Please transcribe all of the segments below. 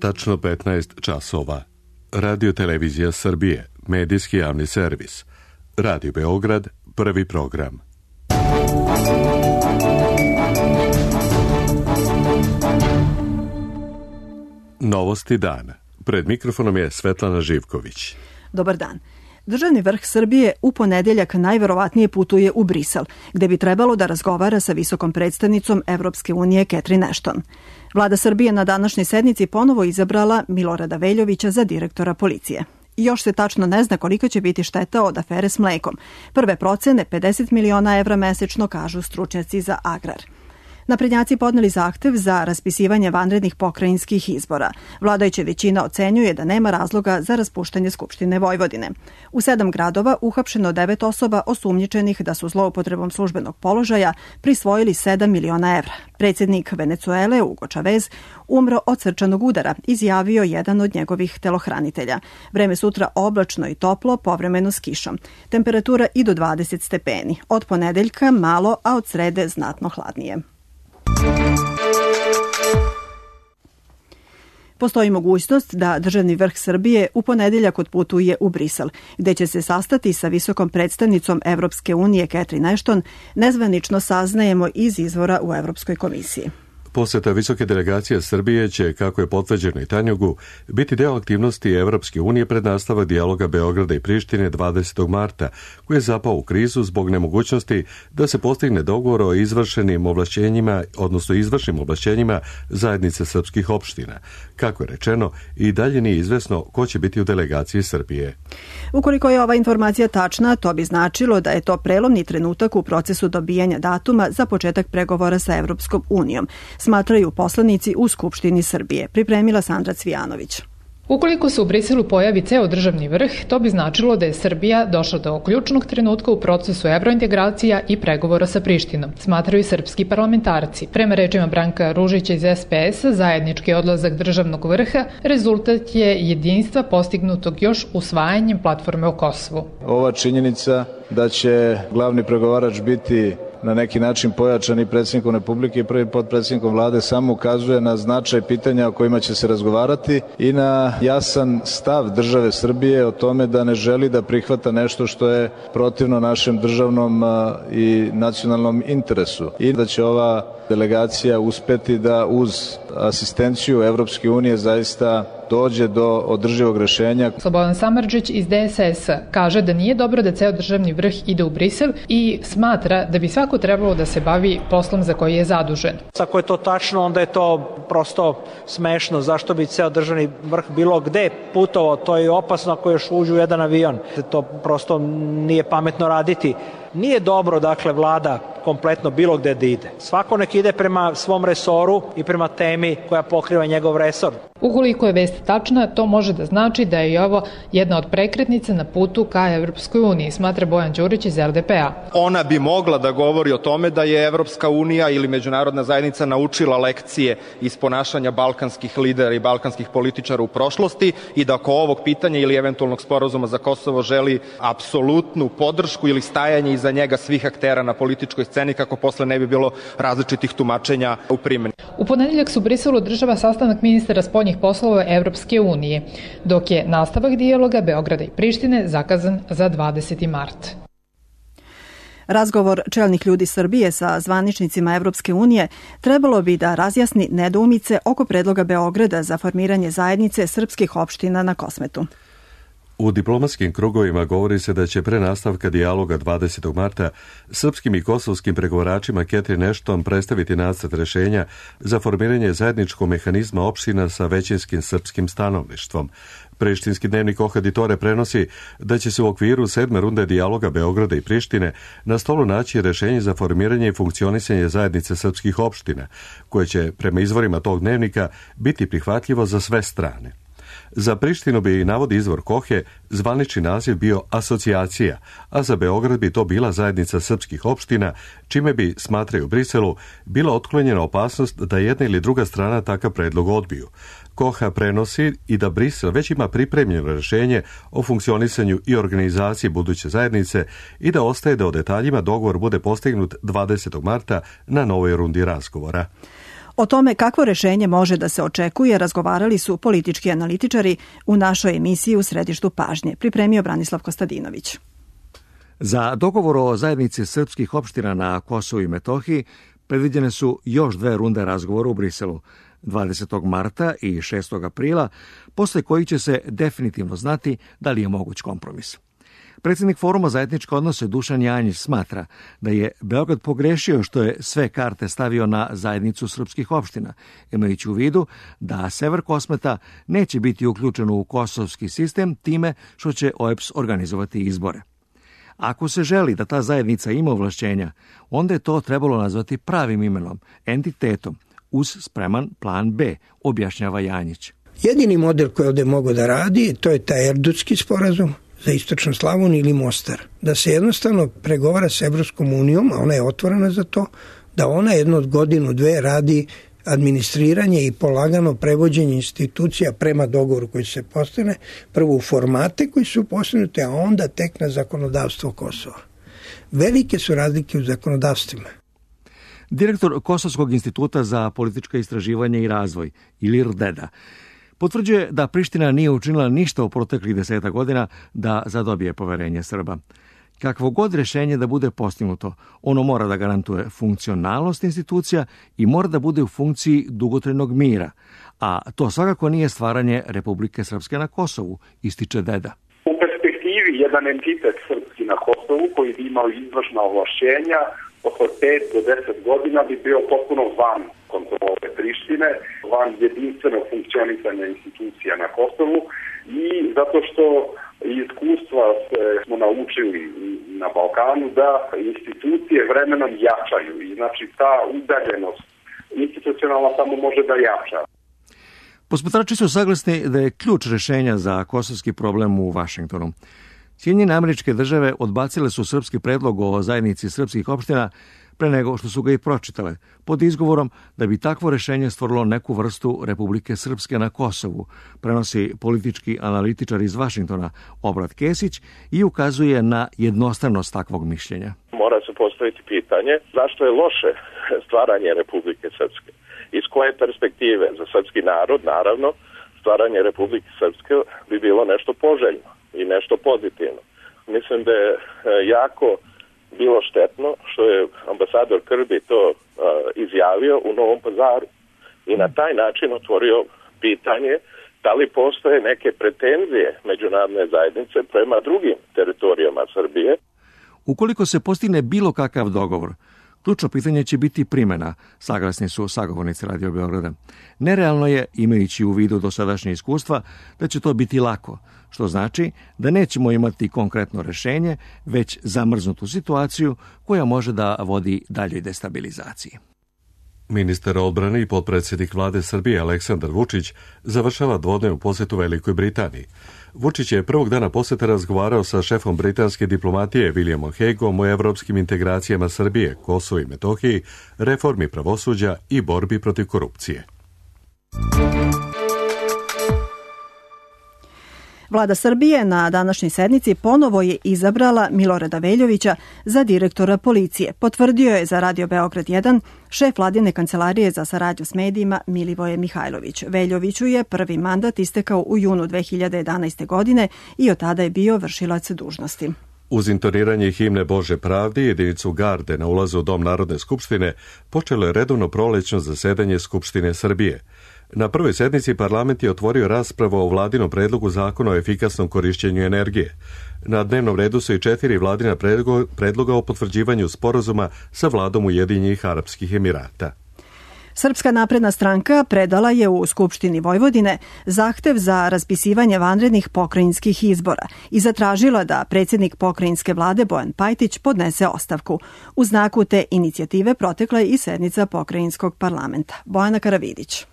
tačno 15 časova. Radio Televizija Srbije, medijski javni servis. Radio Beograd, prvi program. Novosti dana. Pred mikrofonom je Svetlana Živković. Dobar dan. Državni vrh Srbije u ponedeljak najverovatnije putuje u Brisel, gde bi trebalo da razgovara sa visokom predstavnicom Evropske unije Catherine Ashton. Vlada Srbije na današnjoj sednici ponovo izabrala Milorada Veljovića za direktora policije. Još se tačno ne zna kolika će biti šteta od afere s mlekom. Prve procene 50 miliona evra mesečno, kažu stručnjaci za agrar. Naprednjaci podneli zahtev za raspisivanje vanrednih pokrajinskih izbora. Vladajuća većina ocenjuje da nema razloga za raspuštanje Skupštine Vojvodine. U 7 gradova uhapšeno 9 osoba osumnjičenih da su zloupotrebom službenog položaja prisvojili 7 miliona evra. Predsjednik Venecuele Hugo Chavez umro od srčanog udara, izjavio jedan od njegovih telohranitelja. Vreme sutra oblačno i toplo, povremeno s kišom. Temperatura i do 20 stepeni. Od ponedeljka malo, a od srede znatno hladnije. Postoji mogućnost da državni vrh Srbije u ponedeljak otputuje u Brisel, gde će se sastati sa visokom predstavnicom Evropske unije Catherine Ashton, nezvanično saznajemo iz izvora u Evropskoj komisiji. Poseta visoke delegacije Srbije će, kako je potvrđeno i Tanjugu, biti deo aktivnosti Evropske unije pred nastavak dijaloga Beograda i Prištine 20. marta, koji je zapao u krizu zbog nemogućnosti da se postigne dogovor o izvršnim ovlašćenjima zajednice srpskih opština. Kako je rečeno, i dalje nije izvesno ko će biti u delegaciji Srbije. Ukoliko je ova informacija tačna, to bi značilo da je to prelomni trenutak u procesu dobijanja datuma za početak pregovora sa Evropskom unijom, smatraju poslanici u Skupštini Srbije. Pripremila Sandra Cvijanović. Ukoliko se u Briselu pojavi ceo državni vrh, to bi značilo da je Srbija došla do ključnog trenutka u procesu evrointegracija i pregovora sa Prištinom, smatraju srpski parlamentarci. Prema rečima Branka Ružića iz SPS, zajednički odlazak državnog vrha rezultat je jedinstva postignutog još usvajanjem platforme o Kosovu. Ova činjenica da će glavni pregovarač biti na neki način pojačan i predsjednikom Republike i prvim potpredsjednikom vlade samo ukazuje na značaj pitanja o kojima će se razgovarati i na jasan stav države Srbije o tome da ne želi da prihvata nešto što je protivno našem državnom i nacionalnom interesu i da će ova delegacija uspeti da uz asistenciju Evropske unije zaista dođe do održivog rešenja. Slobodan Samardžić iz DSS kaže da nije dobro da ceo državni vrh ide u Brisel i smatra da bi svako trebalo da se bavi poslom za koji je zadužen. Ako je to tačno, onda je to prosto smešno. Zašto bi ceo državni vrh bilo gde putovao? To je opasno ako još uđu u jedan avion. To prosto nije pametno raditi. Nije dobro, dakle, vlada kompletno bilo gde da ide. Svako nek ide prema svom resoru i prema temi koja pokriva njegov resor. Ukoliko je vest tačna, to može da znači da je i ovo jedna od prekretnica na putu ka Evropskoj uniji, smatra Bojan Đurić iz LDP-a. Ona bi mogla da govori o tome da je Evropska unija ili međunarodna zajednica naučila lekcije iz ponašanja balkanskih lidera i balkanskih političara u prošlosti i da oko ovog pitanja ili eventualnog sporazuma za Kosovo želi apsolutnu podršku ili stajanje iza njega svih aktera na političkoj sceni kako posle ne bi bilo različitih tumačenja u primjeni. U ponedeljak su u Briselu održava sastanak ministara spoljnih poslova Evropske unije, dok je nastavak dijaloga Beograda i Prištine zakazan za 20. mart. Razgovor čelnih ljudi Srbije sa zvaničnicima Evropske unije trebalo bi da razjasni nedoumice oko predloga Beograda za formiranje zajednice srpskih opština na Kosmetu. U diplomatskim krugovima govori se da će pre nastavka dijaloga 20. marta srpskim i kosovskim pregovaračima Catherine Ashton predstaviti nacrt rešenja za formiranje zajedničkog mehanizma opština sa većinskim srpskim stanovništvom. Prištinski dnevnik Ohaditore prenosi da će se u okviru 7. runde dijaloga Beograda i Prištine na stolu naći rešenje za formiranje i funkcionisanje zajednice srpskih opština, koje će, prema izvorima tog dnevnika, biti prihvatljivo za sve strane. Za Prištinu bi, navodi izvor Kohe, zvanični naziv bio asocijacija, a za Beograd bi to bila zajednica srpskih opština, čime bi, smatraju Briselu, bila otklonjena opasnost da jedna ili druga strana takav predlog odbiju. Koha prenosi i da Brisel već ima pripremljeno rešenje o funkcionisanju i organizaciji buduće zajednice i da ostaje da o detaljima dogovor bude postignut 20. marta na novoj rundi razgovora. O tome kakvo rešenje može da se očekuje razgovarali su politički analitičari u našoj emisiji U središtu pažnje. Pripremio Branislav Kostadinović. Za dogovor o zajednici srpskih opština na Kosovu i Metohiji predviđene su još 2 runde razgovora u Briselu, 20. marta i 6. aprila, posle kojih će se definitivno znati da li je moguć kompromis. Predsjednik Foruma za etničke odnose Dušan Janjić smatra da je Beograd pogrešio što je sve karte stavio na zajednicu srpskih opština, imajući u vidu da sever Kosmeta neće biti uključen u kosovski sistem time što će OEBS organizovati izbore. Ako se želi da ta zajednica ima ovlašćenja, onda je to trebalo nazvati pravim imenom, entitetom, uz spreman plan B, objašnjava Janjić. Jedini model koji ovdje mogu da radi, to je taj Erdutski sporazum za istočnu Slavoniju ili Mostar. Da se jednostavno pregovara s Evropskom unijom, a ona je otvorena za to, da ona jednu od godinu, 2 radi administriranje i polagano prevođenje institucija prema dogovoru koji se postane, prvo u formate koji su postavljeni, a onda tek na zakonodavstvo Kosova. Velike su razlike u zakonodavstvima. Direktor Kosovskog instituta za politička istraživanja i razvoj, Ilir Deda, potvrđuje da Priština nije učinila ništa u proteklih 10 godina da zadobije poverenje Srba. Kakvo god rješenje da bude postignuto, ono mora da garantuje funkcionalnost institucija i mora da bude u funkciji dugotrajnog mira, a to svakako nije stvaranje Republike Srpske na Kosovu, ističe Deda. U perspektivi jedan entitet srpski na Kosovu koji bi imao izvršna ovlašćenja oko 5 do 10 godina bi bio potpuno van kontrole Prištine, van jedinstvenog funkcionisanja institucija na Kosovu i zato što iskustva smo naučili na Balkanu da institucije vremenom jačaju i znači ta udaljenost institucionalna samo može da jača. Posmatrači su saglasni da je ključ rešenja za kosovski problem u Vašingtonu. Sjedinjene Američke Države odbacile su srpski predlog o zajednici srpskih opština pre nego što su ga i pročitale, pod izgovorom da bi takvo rešenje stvorilo neku vrstu Republike Srpske na Kosovu, prenosi politički analitičar iz Vašingtona Obrat Kesić i ukazuje na jednostavnost takvog mišljenja. Mora se postaviti pitanje zašto je loše stvaranje Republike Srpske. Iz koje perspektive? Za srpski narod, naravno, stvaranje Republike Srpske bi bilo nešto poželjno i nešto pozitivno. Mislim da je jako bilo štetno što je ambasador Krbi to izjavio u Novom Pazaru i na taj način otvorio pitanje da li postoje neke pretenzije međunarodne zajednice prema drugim teritorijama Srbije. Ukoliko se postigne bilo kakav dogovor, ključno pitanje će biti primjena, saglasni su sagovornici Radio Beograda. Nerealno je, imajući u vidu dosadašnje iskustva, da će to biti lako, što znači da nećemo imati konkretno rešenje, već zamrznutu situaciju koja može da vodi daljoj destabilizaciji. Ministar odbrane i potpredsjednik vlade Srbije Aleksandar Vučić završava dvodnevnu posjetu Velikoj Britaniji. Vučić je prvog dana posjete razgovarao sa šefom britanske diplomatije Williamom Hagueom o evropskim integracijama Srbije, Kosovu i Metohiji, reformi pravosuđa i borbi protiv korupcije. Vlada Srbije na današnjoj sednici ponovo je izabrala Milorada Veljovića za direktora policije. Potvrdio je za Radio Beograd 1 šef vladine kancelarije za saradnju s medijima Milivoje Mihajlović. Veljoviću je prvi mandat istekao u junu 2011. godine i od tada je bio vršilac dužnosti. Uz intoniranje himne Bože pravdi, jedinicu garde na ulazu u Dom Narodne skupštine počelo je redovno prolećno zasedanje Skupštine Srbije. Na prvoj sednici parlament je otvorio raspravu o vladinom predlogu zakona o efikasnom korišćenju energije. Na dnevnom redu su i 4 vladina predloga o potvrđivanju sporazuma sa vladom Ujedinjenih Arapskih Emirata. Srpska napredna stranka predala je u Skupštini Vojvodine zahtev za raspisivanje vanrednih pokrajinskih izbora i zatražila da predsjednik pokrajinske vlade Bojan Pajtić podnese ostavku. U znaku te inicijative protekla je i sednica pokrajinskog parlamenta. Bojana Karavidić.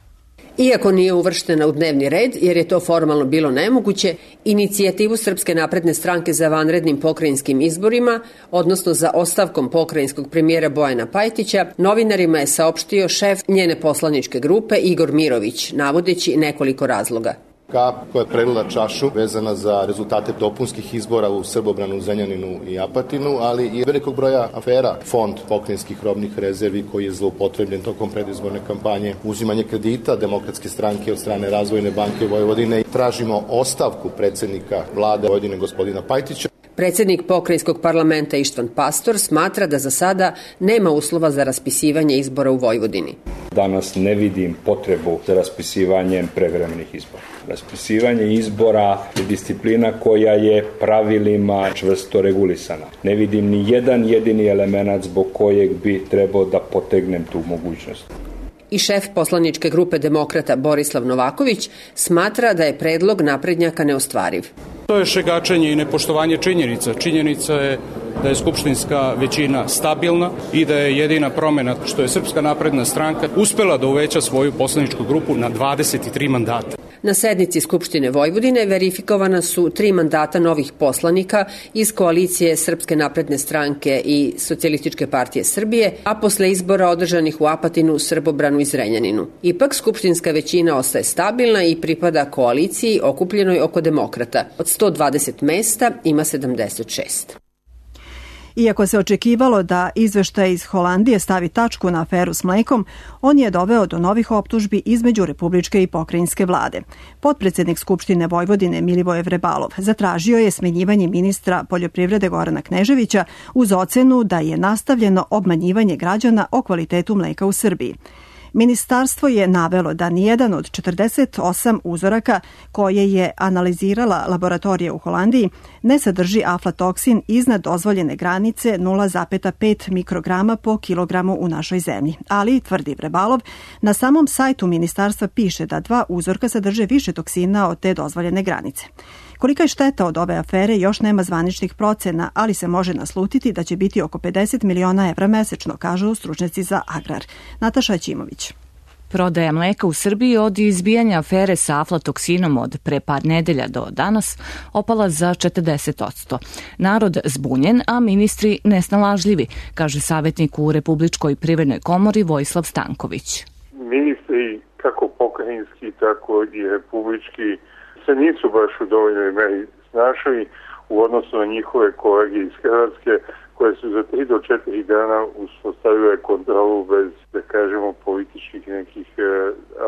Iako nije uvrštena u dnevni red, jer je to formalno bilo nemoguće, inicijativu Srpske napredne stranke za vanrednim pokrajinskim izborima, odnosno za ostavkom pokrajinskog premijera Bojana Pajtića, novinarima je saopštio šef njene poslaničke grupe Igor Mirović, navodeći nekoliko razloga. kap koja je prelila čašu vezana za rezultate dopunskih izbora u Srbobranu, Zrenjaninu i Apatinu, ali i velikog broja afera. Fond pokrajinskih robnih rezervi koji je zloupotrebljen tokom predizborne kampanje, uzimanje kredita Demokratske stranke od strane Razvojne banke Vojvodine. Tražimo ostavku predsednika vlade Vojvodine gospodina Pajtića. Predsednik pokrajinskog parlamenta Ištvan Pastor smatra da za sada nema uslova za raspisivanje izbora u Vojvodini. Danas ne vidim potrebu za raspisivanjem prevremenih izbora. Raspisivanje izbora je disciplina koja je pravilima čvrsto regulisana. Ne vidim ni jedan jedini element zbog kojeg bi trebao da potegnem tu mogućnost. I šef poslaničke grupe Demokrata Borislav Novaković smatra da je predlog naprednjaka neostvariv. To je šegačenje i nepoštovanje činjenica. Činjenica je da je skupštinska većina stabilna i da je jedina promena što je Srpska napredna stranka uspela da uveća svoju poslaničku grupu na 23 mandata. Na sednici Skupštine Vojvodine verifikovana su 3 mandata novih poslanika iz koalicije Srpske napredne stranke i Socijalističke partije Srbije, a posle izbora održanih u Apatinu, Srbobranu i Zrenjaninu. Ipak, skupštinska većina ostaje stabilna i pripada koaliciji okupljenoj oko Demokrata. Od 120 mesta ima 76. Iako se očekivalo da izveštaj iz Holandije stavi tačku na aferu s mlekom, on je doveo do novih optužbi između republičke i pokrajinske vlade. Potpredsednik Skupštine Vojvodine Milivoje Vrebalov zatražio je smenjivanje ministra poljoprivrede Gorana Kneževića uz ocenu da je nastavljeno obmanjivanje građana o kvalitetu mleka u Srbiji. Ministarstvo je navelo da nijedan od 48 uzoraka koje je analizirala laboratorija u Holandiji ne sadrži aflatoksin iznad dozvoljene granice 0,5 mikrograma po kilogramu u našoj zemlji. Ali, tvrdi Vrebalov, na samom sajtu ministarstva piše da 2 uzorka sadrže više toksina od te dozvoljene granice. Kolika je šteta od ove afere još nema zvaničnih procena, ali se može naslutiti da će biti oko 50 miliona evra mesečno, kažu stručnjaci za agrar. Nataša Ćimović. Prodaja mleka u Srbiji od izbijanja afere sa aflatoksinom od pre par nedelja do danas opala za 40%. Narod zbunjen, a ministri nesnalažljivi, kaže savjetnik u Republičkoj privrednoj komori Vojislav Stanković. Ministri, kako pokrajinski, tako i republički, se nisu baš u dovoljnoj meri snašali u odnosu na njihove kolege iz Hrvatske, koje su za 3 do 4 dana uspostavile kontrolu bez, da kažemo, političkih nekih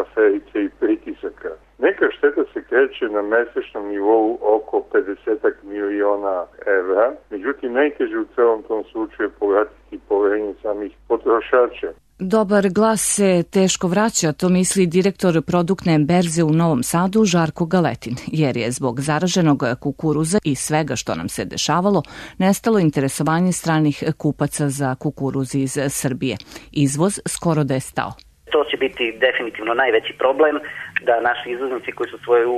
aferica i pritisaka. Neka šteta se kreće na mesečnom nivou oko 50 miliona evra, međutim najteže u celom tom slučaju povratiti poverenje samih potrošača. Dobar glas se teško vraća, to misli direktor produktne berze u Novom Sadu Žarko Galetin, jer je zbog zaraženog kukuruza i svega što nam se dešavalo nestalo interesovanje stranih kupaca za kukuruz iz Srbije. Izvoz skoro da je stao. To će biti definitivno najveći problem, da naši izvoznici koji su svoju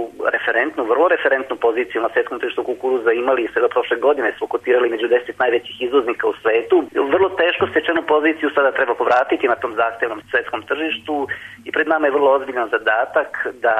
vrlo referentnu poziciju na svetskom tržištu kukuruza imali sve do prošle godine, su kotirali među 10 najvećih izvoznika u svetu. Vrlo teško stečenu poziciju sada treba povratiti na tom zahtevnom svetskom tržištu i pred nama je vrlo ozbiljan zadatak da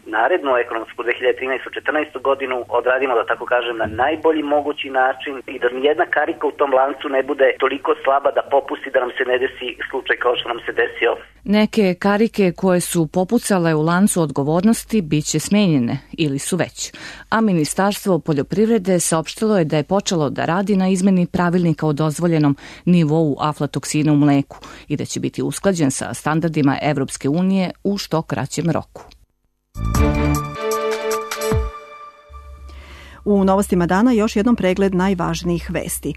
narednu ekonomsku 2013-2014 godinu odradimo, da tako kažem, na najbolji mogući način i da nijedna karika u tom lancu ne bude toliko slaba da popusti da nam se ne desi slučaj kao što nam se desio. Neke karike koje su popucale u lancu odgovornosti bit će smenjene ili su već. A Ministarstvo poljoprivrede saopštilo je da je počelo da radi na izmeni pravilnika o dozvoljenom nivou aflatoksina u mleku i da će biti usklađen sa standardima Evropske unije u što kraćem roku. U novostima dana još jednom pregled najvažnijih vesti.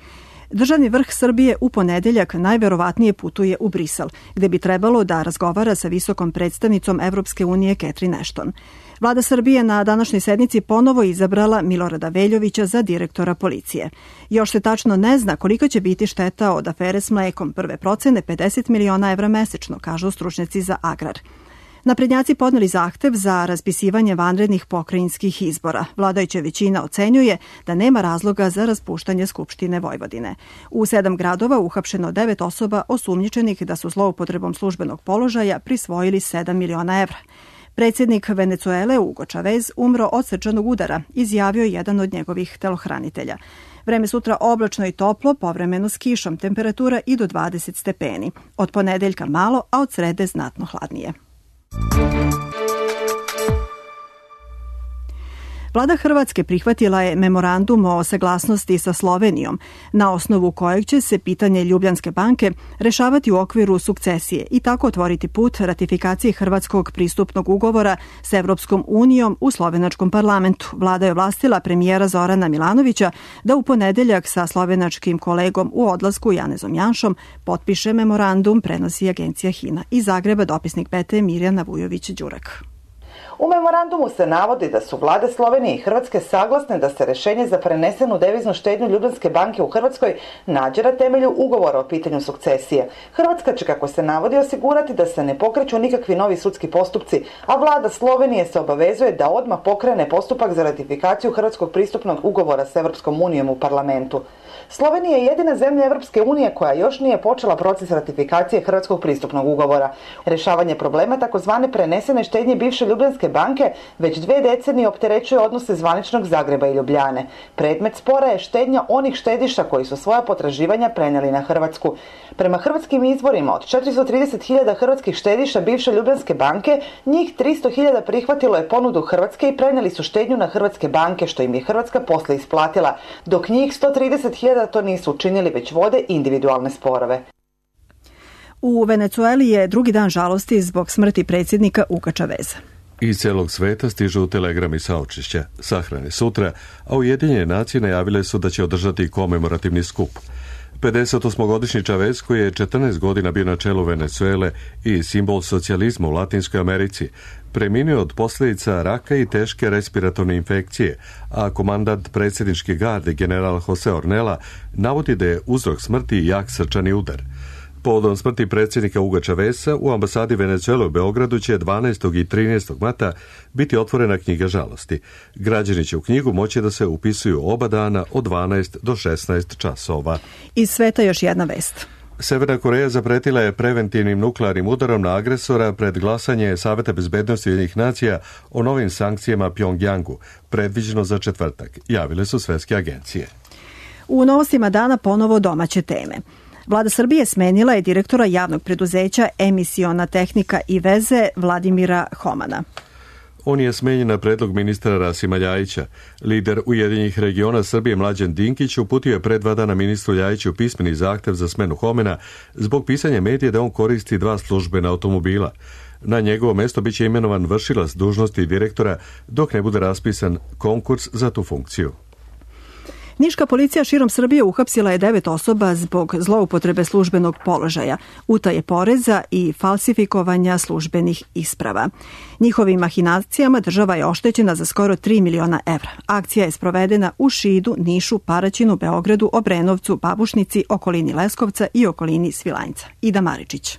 Državni vrh Srbije u ponedeljak najverovatnije putuje u Brisel, gde bi trebalo da razgovara sa visokom predstavnicom Evropske unije Catherine Ashton. Vlada Srbije na današnjoj sednici ponovo izabrala Milorada Veljovića za direktora policije. Još se tačno ne zna koliko će biti šteta od afere s mlekom. Prve procene 50 miliona evra mesečno, kažu stručnjaci za agrar. Naprednjaci podneli zahtev za raspisivanje vanrednih pokrajinskih izbora. Vladajuća većina ocenjuje da nema razloga za raspuštanje Skupštine Vojvodine. U 7 gradova uhapšeno 9 osoba osumnjičenih da su zloupotrebom službenog položaja prisvojili 7 miliona evra. Predsjednik Venecuele Hugo Chavez umro od srčanog udara, izjavio jedan od njegovih telohranitelja. Vreme sutra oblačno i toplo, povremeno s kišom, temperatura i do 20 stepeni. Od ponedeljka malo, a od srede znatno hladnije. Vlada Hrvatske prihvatila je memorandum o saglasnosti sa Slovenijom, na osnovu kojeg će se pitanje Ljubljanske banke rešavati u okviru sukcesije i tako otvoriti put ratifikaciji Hrvatskog pristupnog ugovora s Evropskom unijom u slovenačkom parlamentu. Vlada je ovlastila premijera Zorana Milanovića da u ponedeljak sa slovenačkim kolegom u odlasku Janezom Janšom potpiše memorandum, prenosi agencija HINA. Iz Zagreba dopisnik PT Mirjana Vujović-Đurak. U memorandumu se navodi da su vlade Slovenije i Hrvatske saglasne da se rešenje za prenesenu deviznu štednju Ljubljanske banke u Hrvatskoj nađe na temelju ugovora o pitanju sukcesije. Hrvatska će, kako se navodi, osigurati da se ne pokreću nikakvi novi sudski postupci, a vlada Slovenije se obavezuje da odmah pokrene postupak za ratifikaciju Hrvatskog pristupnog ugovora s Evropskom unijom u parlamentu. Slovenija je jedina zemlja Evropske unije koja još nije počela proces ratifikacije Hrvatskog pristupnog ugovora. Rešavanje problema takozvane prenesene štednje bivše Ljubljanske banke već 2 decenije opterećuje odnose zvaničnog Zagreba i Ljubljane. Predmet spora je štednja onih štediša koji su svoja potraživanja prenijeli na Hrvatsku. Prema hrvatskim izvorima, od 430.000 hrvatskih štediša bivše Ljubljanske banke, njih 300.000 prihvatilo je ponudu Hrvatske i prenijeli su štednju na hrvatske banke, što im je Hrvatska posle isplatila, dok njih 130.000 to nisu učinili, već vode individualne sporove. U Venecueli je drugi dan žalosti zbog smrti predsjednika Huga Chaveza. Iz celog sveta stižu telegrami saučešća. Sahrane sutra, a Ujedinjene nacije najavile su da će održati komemorativni skup. 58-godišnji Chavez, koji je 14 godina bio na čelu Venecuele i simbol socijalizma u Latinskoj Americi, preminuo od posljedica raka i teške respiratorne infekcije, a komandant predsjedničke garde general Jose Ornella navodi da je uzrok smrti jak srčani udar. Povodom smrti predsjednika Huga Chaveza u ambasadi Venecuele u Beogradu će 12. i 13. marta biti otvorena knjiga žalosti. Građani će u knjigu moći da se upisuju oba dana od 12 do 16 časova. Iz sveta još jedna vest. Severna Koreja zapretila je preventivnim nuklearnim udarom na agresora pred glasanje Saveta bezbednosti Ujedinjenih nacija o novim sankcijama Pjongjangu, predviđeno za četvrtak, javile su svetske agencije. U novostima dana ponovo domaće teme. Vlada Srbije smenila je direktora javnog preduzeća Emisiona tehnika i veze Vladimira Homana. On je smenjen na predlog ministra Rasima Ljajića. Lider Ujedinjenih regiona Srbije Mlađan Dinkić uputio je pre 2 dana ministru Ljajiću pismeni zahtev za smenu Homena zbog pisanja medija da on koristi 2 službena automobila. Na njegovo mesto biće imenovan vršilac dužnosti direktora dok ne bude raspisan konkurs za tu funkciju. Niška policija širom Srbije uhapsila je 9 osoba zbog zloupotrebe službenog položaja, utaje poreza i falsifikovanja službenih isprava. Njihovim mahinacijama država je oštećena za skoro 3 miliona evra. Akcija je sprovedena u Šidu, Nišu, Paraćinu, Beogradu, Obrenovcu, Babušnici, okolini Leskovca i okolini Svilajnca. Ida Maričić.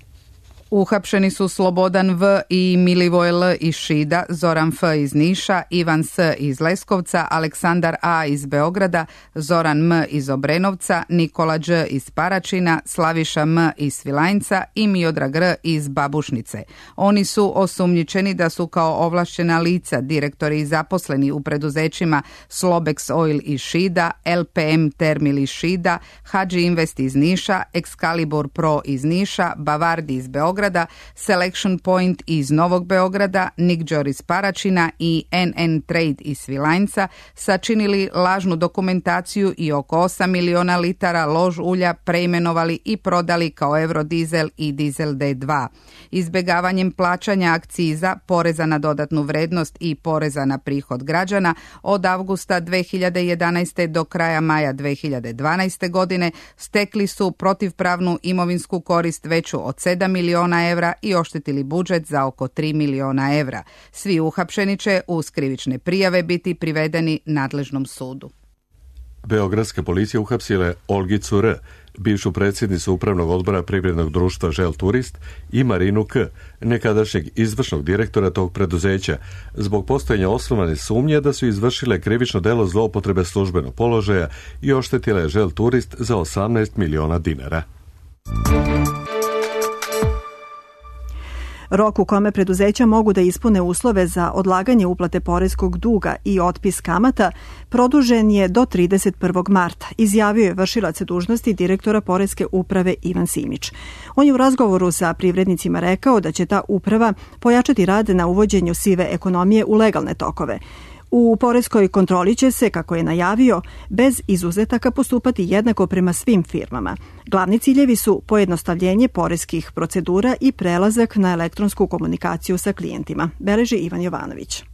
Uhapšeni su Slobodan V. i Milivoj L. iz Šida, Zoran F. iz Niša, Ivan S. iz Leskovca, Aleksandar A. iz Beograda, Zoran M. iz Obrenovca, Nikola Đ. iz Paraćina, Slaviša M. iz Svilajnca i Miodrag R. iz Babušnice. Oni su osumnjičeni da su kao ovlašćena lica, direktori i zaposleni u preduzećima Slobex Oil iz Šida, LPM Termil iz Šida, Hadži Invest iz Niša, Excalibur Pro iz Niša, Bavardi iz Beograda, Selection Point iz Novog Beograda, Nikđor iz Paraćina i NN Trade iz Svilajnca sačinili lažnu dokumentaciju i oko 8 miliona litara lož ulja preimenovali i prodali kao Eurodizel i Dizel D2. Izbegavanjem plaćanja akciza, poreza na dodatnu vrednost i poreza na prihod građana od avgusta 2011. do kraja maja 2012. godine stekli su protivpravnu imovinsku korist veću od 7 miliona evra i oštetili budžet za oko 3 miliona evra. Svi uhapšeni će uz krivične prijave biti privedeni nadležnom sudu. Beogradska policija uhapsila je Olgicu R., bivšu predsjednicu upravnog odbora privrednog društva Žel Turist, i Marinu K., nekadašnjeg izvršnog direktora tog preduzeća, zbog postojanja osnovane sumnje da su izvršile krivično delo zloupotrebe službenog položaja i oštetile Žel Turist za 18 miliona dinara. Rok u kome preduzeća mogu da ispune uslove za odlaganje uplate poreskog duga i otpis kamata produžen je do 31. marta, izjavio je vršilac dužnosti direktora Poreske uprave Ivan Simić. On je u razgovoru sa privrednicima rekao da će ta uprava pojačati rad na uvođenju sive ekonomije u legalne tokove. U poreskoj kontroli će se, kako je najavio, bez izuzetaka postupati jednako prema svim firmama. Glavni ciljevi su pojednostavljenje poreskih procedura i prelazak na elektronsku komunikaciju sa klijentima, beleži Ivan Jovanović.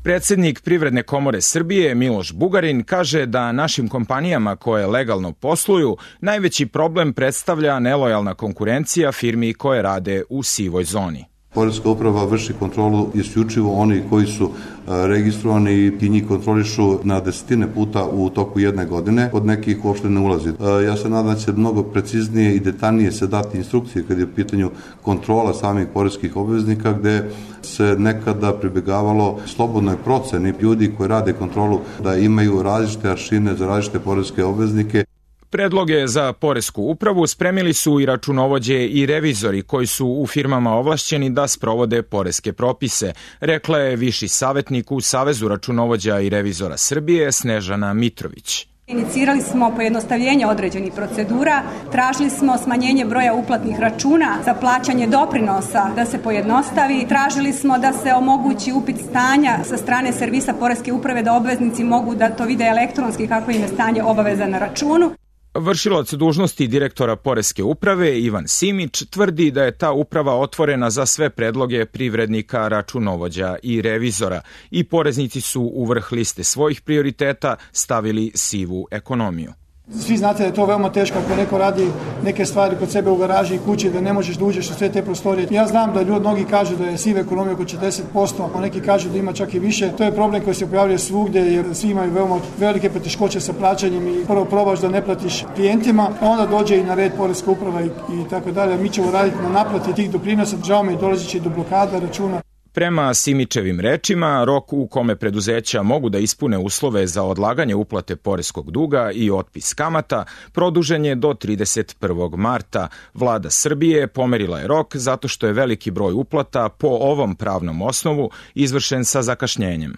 Predsednik Privredne komore Srbije Miloš Bugarin kaže da našim kompanijama koje legalno posluju najveći problem predstavlja nelojalna konkurencija firmi koje rade u sivoj zoni. Poreska uprava vrši kontrolu isključivo oni koji su registrovani i njih kontrolišu na desetine puta u toku jedne godine, od nekih uopšte ne ulazi. Ja se nadam da će mnogo preciznije i detaljnije se dati instrukcije kad je u pitanju kontrola samih poreskih obveznika, gde se nekada pribegavalo slobodnoj proceni ljudi koji rade kontrolu da imaju različite aršine za različite poreske obveznike. Predloge za poresku upravu spremili su i računovođe i revizori koji su u firmama ovlašćeni da sprovode poreske propise, rekla je viši savetnik u Savezu računovođa i revizora Srbije Snežana Mitrović. Inicirali smo pojednostavljenje određenih procedura, tražili smo smanjenje broja uplatnih računa za plaćanje doprinosa da se pojednostavi, tražili smo da se omogući upit stanja sa strane servisa poreske uprave da obveznici mogu da to vide elektronski kako im je stanje obaveza na računu. Vršilac dužnosti direktora poreske uprave Ivan Simić tvrdi da je ta uprava otvorena za sve predloge privrednika, računovođa i revizora i poreznici su u vrh liste svojih prioriteta stavili sivu ekonomiju. Svi znate da je to veoma teško ako neko radi neke stvari kod sebe u garaži i kući, da ne možeš da uđeš u sve te prostorije. Ja znam da mnogi kažu da je siva ekonomija oko 40%, a neki kažu da ima čak i više. To je problem koji se pojavljuje svugde jer svi imaju veoma velike poteškoće sa plaćanjem i prvo probaš da ne platiš klijentima, a onda dođe i na red poreska uprava i tako dalje. Mi ćemo raditi na naplati tih doprinosa, žao me i dolazi će do blokada računa. Prema Simićevim rečima, rok u kome preduzeća mogu da ispune uslove za odlaganje uplate poreskog duga i otpis kamata produžen je do 31. marta. Vlada Srbije pomerila je rok zato što je veliki broj uplata po ovom pravnom osnovu izvršen sa zakašnjenjem.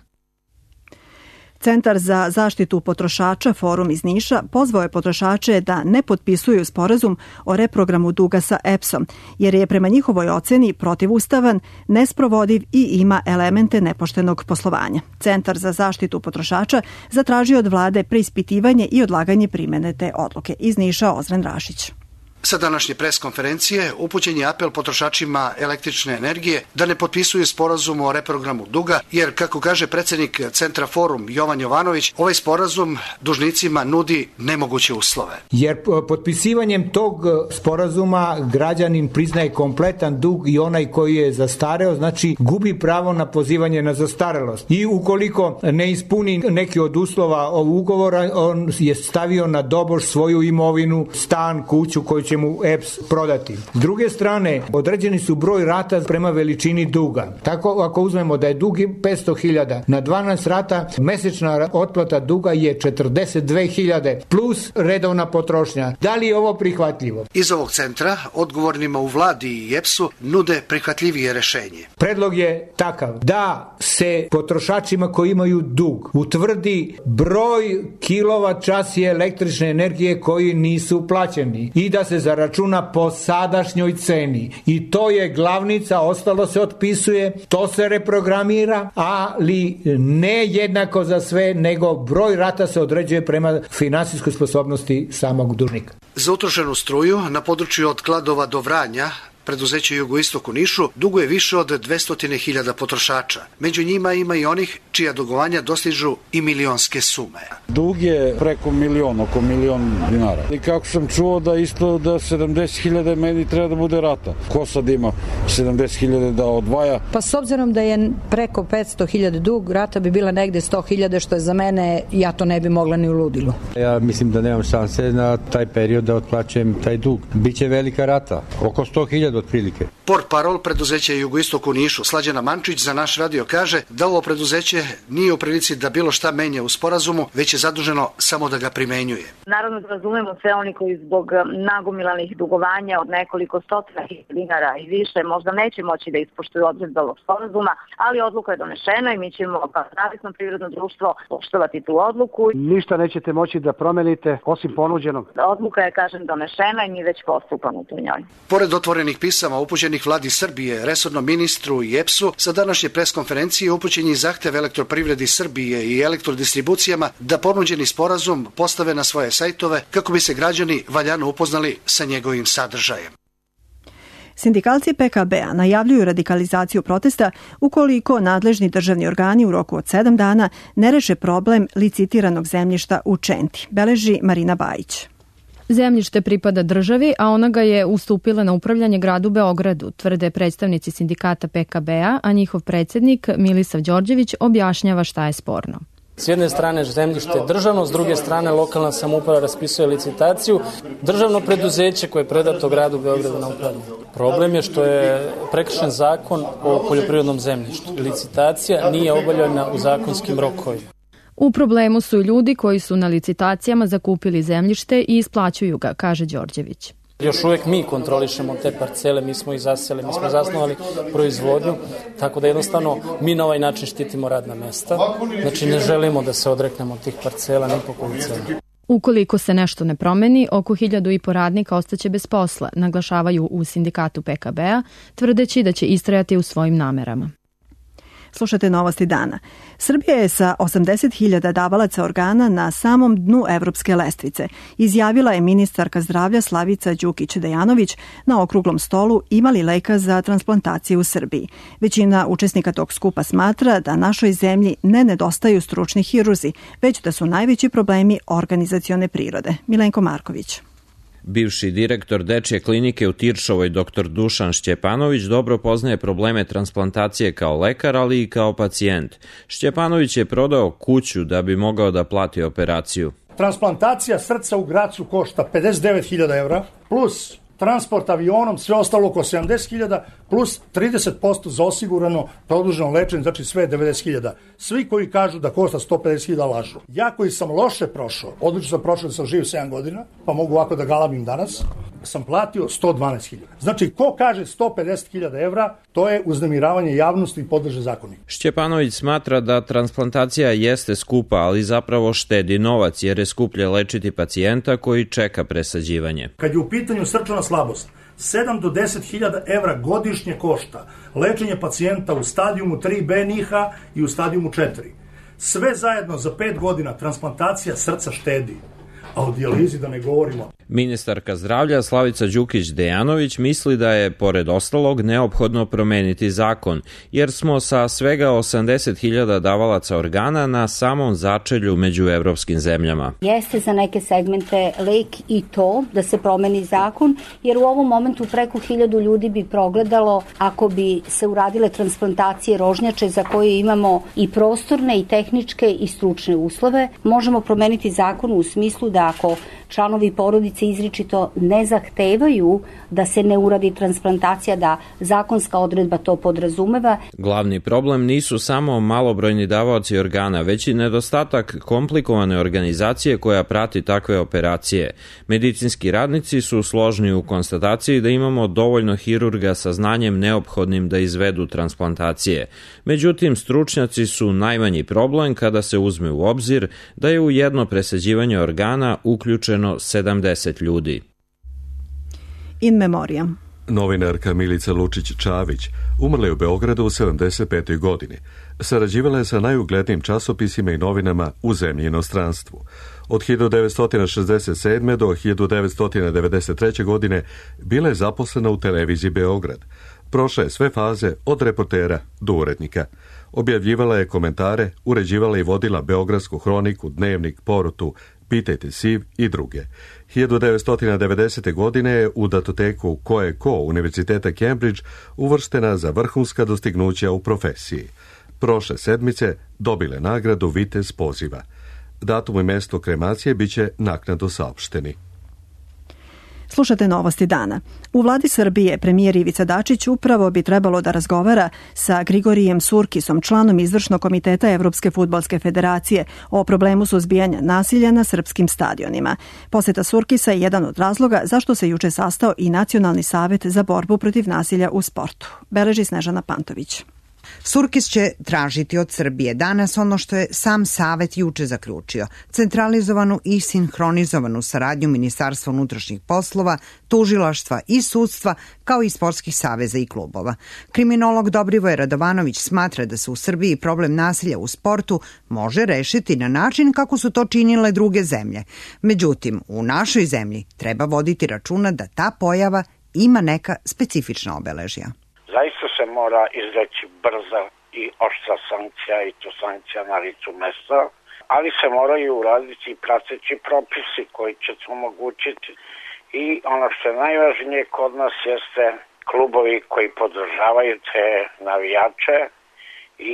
Centar za zaštitu potrošača Forum iz Niša pozvao je potrošače da ne potpisuju sporazum o reprogramu duga sa EPS-om, jer je prema njihovoj oceni protivustavan, nesprovodiv i ima elemente nepoštenog poslovanja. Centar za zaštitu potrošača zatražio od vlade preispitivanje i odlaganje primene te odluke. Iz Niša Ozren Rašić. Sa današnje preskonferencije upućen je apel potrošačima električne energije da ne potpisuju sporazum o reprogramu duga, jer, kako kaže predsednik Centra Forum Jovan Jovanović, ovaj sporazum dužnicima nudi nemoguće uslove. Jer potpisivanjem tog sporazuma građanin priznaje kompletan dug i onaj koji je zastareo, znači gubi pravo na pozivanje na zastarelost. I ukoliko ne ispuni neki od uslova ovog ugovora, on je stavio na doboš svoju imovinu, stan, kuću koju će mu EPS prodati. S druge strane, određeni su broj rata prema veličini duga. Tako, ako uzmemo da je dug 500.000 na 12 rata, mesečna otplata duga je 42.000 plus redovna potrošnja. Da li je ovo prihvatljivo? Iz ovog centra, odgovornima u vladi i EPS-u nude prihvatljivije rešenje. Predlog je takav da se potrošačima koji imaju dug utvrdi broj kilovat časi električne energije koji nisu plaćeni i da se zaračuna po sadašnjoj ceni. I to je glavnica, ostalo se otpisuje, to se reprogramira, ali ne jednako za sve, nego broj rata se određuje prema finansijskoj sposobnosti samog dužnika. Za utrošenu struju na području od Kladova do Vranja preduzeće Jugoistok u Nišu duguje više od 200.000 potrošača. Među njima ima i onih čija dugovanja dostižu i milionske sume. Dug je preko milion, oko milion dinara. I kako sam čuo da isto da 70.000 meni treba da bude rata. Ko sad ima 70.000 da odvaja? Pa s obzirom da je preko 500.000 dug, rata bi bila negde 100.000, što je za mene, ja to ne bi mogla ni u ludilu. Ja mislim da nemam šanse na taj period da otplaćujem taj dug. Biće velika rata, oko 100.000 otprilike. Portparol preduzeća Jugoistok u Nišu, Slađana Mančić, za naš radio kaže da ovo preduzeće nije u prilici da bilo šta menja u sporazumu, već je zaduženo samo da ga primenjuje. Naravno da razumemo sve oni koji zbog nagomilanih dugovanja od nekoliko stotina dinara i više možda neće moći da ispoštuju odredbe ovog sporazuma, ali odluka je donešena i mi ćemo kao zavisno privredno društvo poštovati tu odluku. Ništa nećete moći da promenite osim ponuđenog. Odluka je, kažem, donešena i mi već postupamo u njoj. Pored otvorenih pisama upućenih upućenih vladi Srbije, resornom ministru i EPS-u, sa današnje preskonferencije upućen je zahtev Elektroprivredi Srbije i elektrodistribucijama da ponuđeni sporazum postave na svoje sajtove kako bi se građani valjano upoznali sa njegovim sadržajem. Sindikalci PKB-a najavljuju radikalizaciju protesta ukoliko nadležni državni organi u roku od 7 dana ne reše problem licitiranog zemljišta u Čenti, beleži Marina Bajić. Zemljište pripada državi, a ona ga je ustupila na upravljanje gradu Beogradu, tvrde predstavnici sindikata PKB-a, a njihov predsjednik Milisav Đorđević objašnjava šta je sporno. S jedne strane zemljište je državno, s druge strane lokalna samouprava raspisuje licitaciju, državno preduzeće koje je predato gradu Beogradu na upravljanje. Problem je što je prekršen zakon o poljoprivrednom zemljištu. Licitacija nije obavljena u zakonskim rokovima. U problemu su ljudi koji su na licitacijama zakupili zemljište i isplaćuju ga, kaže Đorđević. Još uvijek mi kontrolišemo te parcele, mi smo ih zaseli, mi smo zasnovali proizvodnju, tako da jednostavno mi na ovaj način štitimo radna mesta. Znači ne želimo da se odreknemo tih parcela ni po koju cenu. Ukoliko se nešto ne promeni, oko 1.500 radnika ostaće bez posla, naglašavaju u sindikatu PKB-a, tvrdeći da će istrajati u svojim namerama. Slušate novosti dana. Srbija je sa 80.000 davalaca organa na samom dnu evropske lestvice, izjavila je ministarka zdravlja Slavica Đukić-Dejanović na okruglom stolu Ima li leka za transplantaciju u Srbiji. Većina učesnika tog skupa smatra da našoj zemlji ne nedostaju stručni hirurzi, već da su najveći problemi organizacione prirode. Milenko Marković. Bivši direktor dečje klinike u Tiršovoj, dr. Dušan Šćepanović, dobro poznaje probleme transplantacije kao lekar, ali i kao pacijent. Šćepanović je prodao kuću da bi mogao da plati operaciju. Transplantacija srca u Gracu košta 59.000 evra, plus transport avionom, sve ostalo oko 70.000, plus 30% za osigurano produženo lečenje, znači sve 90.000. Svi koji kažu da košta 150.000 lažu. Ja koji sam loše prošao, odlično sam prošao da sam živ 7 godina, pa mogu ovako da galabim danas, sam platio 112.000. Znači, ko kaže 150.000 evra, to je uznemiravanje javnosti i podrže zakonik. Šćepanović smatra da transplantacija jeste skupa, ali zapravo štedi novac, jer je skuplje lečiti pacijenta koji čeka presađivanje. Kad je u pitanju srčana slabost, 7 do 10.000 evra godišnje košta lečenje pacijenta u stadijumu 3B NIH-a i u stadijumu 4. Sve zajedno za 5 godina transplantacija srca štedi, a o dijalizi da ne govorimo. Ministarka zdravlja Slavica Đukić-Dejanović misli da je, pored ostalog, neophodno promeniti zakon, jer smo sa svega 80.000 davalaca organa na samom začelju među evropskim zemljama. Jeste za neke segmente lek i to da se promeni zakon, jer u ovom momentu preko 1.000 ljudi bi progledalo ako bi se uradile transplantacije rožnjače za koje imamo i prostorne i tehničke i stručne uslove. Možemo promeniti zakon u smislu da ako članovi porodice izričito ne zahtevaju da se ne uradi transplantacija, da zakonska odredba to podrazumeva. Glavni problem nisu samo malobrojni davaoci organa, već i nedostatak komplikovane organizacije koja prati takve operacije. Medicinski radnici su složni u konstataciji da imamo dovoljno hirurga sa znanjem neophodnim da izvedu transplantacije. Međutim, stručnjaci su najmanji problem kada se uzme u obzir da je u jedno presađivanje organa uključeno 70 ljudi. In memoriam. Novinarka Milica Lučić-Čavić umrla je u Beogradu u 75. godini. Sarađivala je sa najuglednijim časopisima i novinama u zemlji i inostranstvu. Od 1967. do 1993. godine bila je zaposlena u televiziji Beograd. Prošla je sve faze od reportera do urednika. Objavljivala je komentare, uređivala i vodila Beogradsku hroniku, Dnevnik, Porutu, Pitajte Siv i druge. 1990. godine je u datoteku Ko je ko Univerziteta Cambridge uvrštena za vrhunska dostignuća u profesiji. Prošle sedmice dobile nagradu Vitez poziva. Datum i mesto kremacije biće naknadno saopšteni. Slušate novosti dana. U vladi Srbije premijer Ivica Dačić upravo bi trebalo da razgovara sa Grigorijem Surkisom, članom izvršnog komiteta Evropske fudbalske federacije, o problemu suzbijanja nasilja na srpskim stadionima. Poseta Surkisa je jedan od razloga zašto se juče sastao i Nacionalni savet za borbu protiv nasilja u sportu. Beleži Snežana Pantović. Surkis će tražiti od Srbije danas ono što je sam Savet juče zaključio, centralizovanu i sinhronizovanu saradnju Ministarstva unutrašnjih poslova, tužilaštva i sudstva, kao i sportskih saveza i klubova. Kriminolog Dobrivoje Radovanović smatra da se u Srbiji problem nasilja u sportu može rešiti na način kako su to činile druge zemlje. Međutim, u našoj zemlji treba voditi računa da ta pojava ima neka specifična obeležja. Zaista se mora izreći brza i oštra sankcija i to sankcija na licu mesta, ali se moraju uraditi i prateći propisi koji će to omogućiti. I ono što je najvažnije kod nas jeste klubovi koji podržavaju te navijače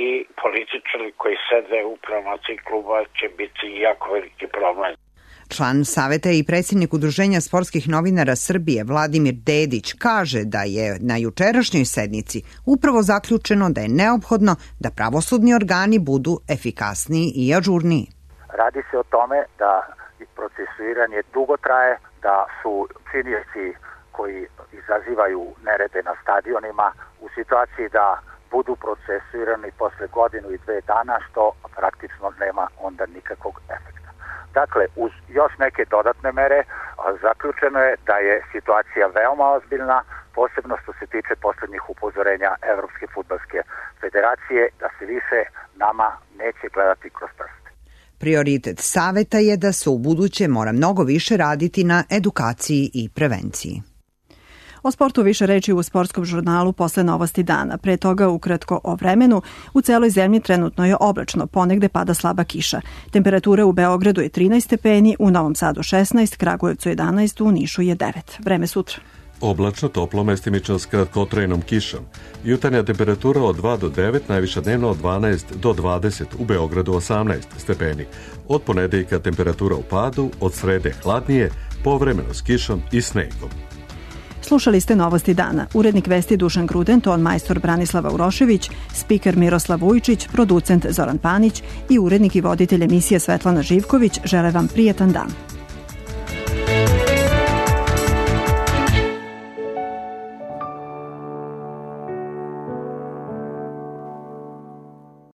i političari koji sede upravo na tih klubova će biti jako veliki problem. Član Saveta i predsjednik Udruženja sportskih novinara Srbije Vladimir Dedić kaže da je na jučerašnjoj sednici upravo zaključeno da je neophodno da pravosudni organi budu efikasniji i ažurniji. Radi se o tome da procesuiranje dugo traje, da su činioci koji izazivaju nerede na stadionima u situaciji da budu procesuirani posle godinu i 2 dana, što praktično nema onda nikakvog efekta. Dakle, uz još neke dodatne mere, zaključeno je da je situacija veoma ozbiljna, posebno što se tiče poslednjih upozorenja Evropske fudbalske federacije, da se više nama neće gledati kroz prste. Prioritet Saveta je da se u buduće mora mnogo više raditi na edukaciji i prevenciji. O sportu više reči u sportskom žurnalu posle novosti dana. Pre toga ukratko o vremenu. U celoj zemlji trenutno je oblačno, ponegde pada slaba kiša. Temperatura u Beogradu je 13 stepeni, u Novom Sadu 16, Kragujevcu 11, u Nišu je 9. Vreme sutra. Oblačno, toplo, mestimično s kratkotrajnom kišom. Jutarnja temperatura od 2 do 9, najviša dnevno od 12 do 20, u Beogradu 18 stepeni. Od ponedeljka temperatura u padu, od srede hladnije, povremeno s kišom i snegom. Slušali ste novosti dana. Urednik vesti Dušan Gruden, ton majstor Branislava Urošević, spiker Miroslav Vujčić, producent Zoran Panić i urednik i voditelj emisije Svetlana Živković žele vam prijetan dan.